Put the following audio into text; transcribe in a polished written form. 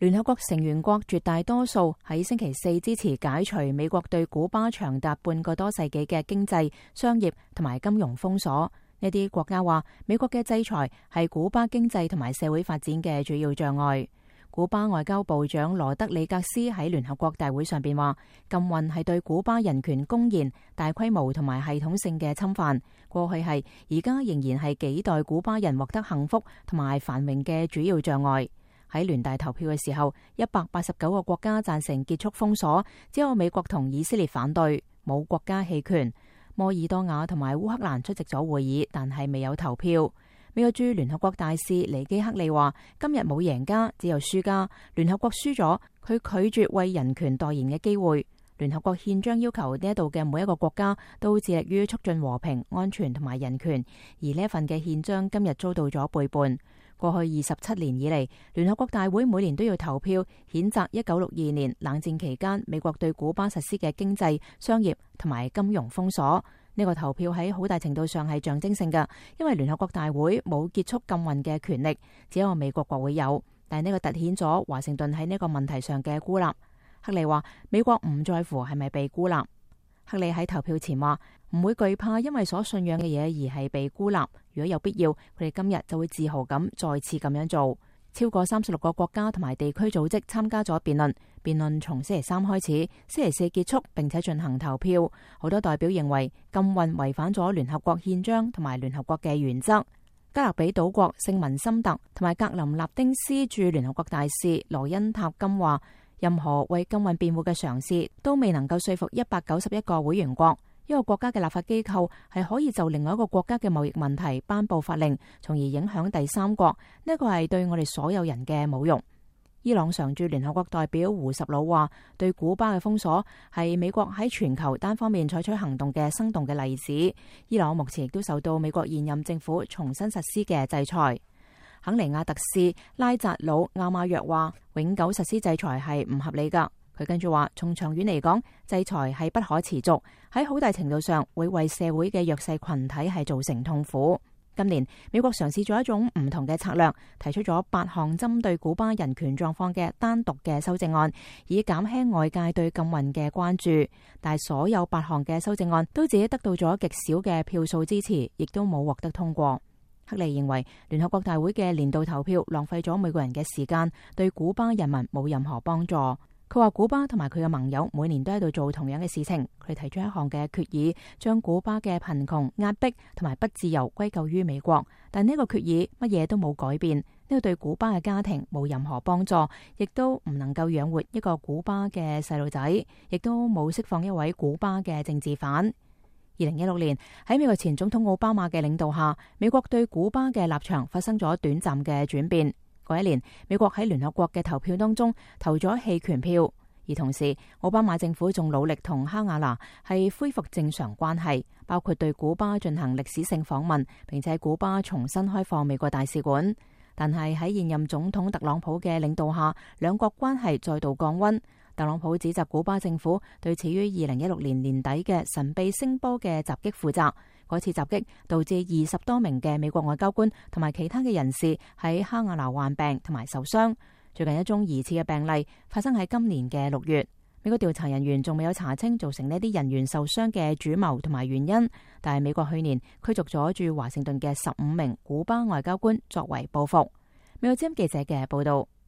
聯合國成員國絕大多數喺星期四支持解除美國對古巴長達半個多世紀嘅經濟、商業同埋金融封鎖。呢啲國家話，美國嘅制裁係古巴經濟同埋社會發展嘅主要障礙。古巴外交部長羅德里格斯喺聯合國大會上邊話，禁運係對古巴人權公然、大規模同埋系統性嘅侵犯。過去係，而家仍然係幾代古巴人獲得幸福同埋繁榮嘅主要障礙。喺聯大投票嘅時候，189個國家贊成結束封鎖，只有美國同以色列反對，冇國家棄權。摩爾多瓦同埋烏克蘭出席咗會議，但係未有投票。美國駐聯合國大使尼基克利話，今日冇贏家，只有輸家。聯合國輸咗，佢拒絕為人權代言嘅機會。聯合國憲章要求呢一度嘅每一個國家都致力於促進和平、安全同埋人權，而呢一份嘅憲章今日遭到咗背叛。過去27年以嚟，聯合國大會每年都要投票譴責1962年冷戰期間美國對古巴實施嘅經濟、商業同埋金融封鎖。呢個投票喺好大程度上係象徵性嘅，因為聯合國大會冇結束禁運嘅權力，只有美國國會有。但係呢個凸顯咗華盛頓喺呢個問題上嘅孤立。克利話，美國唔在乎係咪被孤立。克利喺投票前話，唔會懼怕因為所信仰嘅嘢而係被孤立。如果有必要，佢哋今日就會自豪咁再次咁樣做。超過36個國家同埋地區組織參加咗辯論，辯論從星期3開始，星期4結束，並且進行投票。好多代表認為禁運違反咗聯合國憲章同埋聯合國嘅原則。加勒比島國聖文森特同埋格林納丁斯駐聯合國大使羅恩塔金話，任何為禁運辯護嘅嘗試都未能夠說服191個會員國。一個國家嘅立法機構係可以就另外一個國家嘅貿易問題頒布法令，從而影響第三國。呢個係對我哋所有人嘅侮辱。伊朗常駐聯合國代表胡什魯話，對古巴嘅封鎖係美國喺全球單方面採取行動嘅生動嘅例子。伊朗目前亦都受到美國現任政府重新實施嘅制裁。肯尼亞特使拉扎魯亞馬約話，永久實施制裁係唔合理㗎。佢跟住話，從長遠嚟講，制裁係不可持續，喺好大程度上會為社會嘅弱勢群體係造成痛苦。今年美國嘗試咗一種唔同嘅策略，提出咗8項針對古巴人權狀況嘅單獨嘅修正案，以減輕外界對禁運嘅關注。但係所有8項嘅修正案都只得到咗極少嘅票數支持，亦都冇獲得通過。克利認為聯合國大會嘅年度投票浪費咗美國人嘅時間，對古巴人民冇任何幫助。佢話古巴同埋佢嘅盟友每年都喺度做同樣嘅事情。佢提出一項嘅決議，將古巴嘅貧窮、壓迫同埋不自由歸咎於美國。但呢個決議乜嘢都冇改變，呢個對古巴嘅家庭冇任何幫助，亦都唔能夠養活一個古巴嘅細路仔，亦都冇釋放一位古巴嘅政治犯。2016年喺美國前總統奧巴馬嘅領導下，美國對古巴嘅立場發生咗短暫嘅轉變。嗰一年，美國喺聯合國嘅投票當中投咗棄權票，而同時奧巴馬政府仲努力同哈瓦那係恢復正常關係，包括對古巴進行歷史性訪問，並且古巴重新開放美國大使館。但係喺現任總統特朗普嘅領導下，兩國關係再度降溫。特朗普指責古巴政府對始於2016年年底嘅神秘聲波嘅襲擊負責。嗰次襲擊導致20多名嘅美國外交官同埋其他嘅人士喺哈瓦那患病同埋受傷。最近一宗疑似嘅病例發生喺今年嘅6月。美國調查人員仲未有查清造成呢啲人員受傷嘅主謀同埋原因，但係美國去年驅逐咗駐華盛頓嘅15名古巴外交官作為報復。美國之音記者嘅報道。